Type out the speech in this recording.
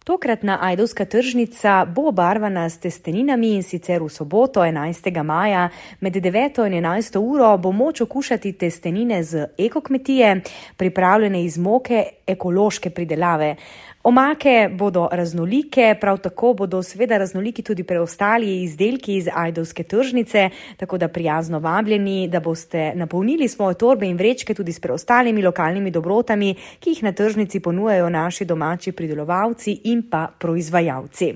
Tokratna ajdovska tržnica bo obarvana s testeninami in sicer v soboto 11. maja med 9. in 11. uro bo moč okušati testenine z ekokmetije, pripravljene iz moke ekološke pridelave. Omake bodo raznolike, prav tako bodo seveda raznoliki tudi preostali izdelki iz ajdovske tržnice, tako da prijazno vabljeni, da boste napolnili svoje torbe in vrečke tudi s preostalimi lokalnimi dobrotami, ki jih na tržnici ponujajo naši domači pridelovalci in pa proizvajalci.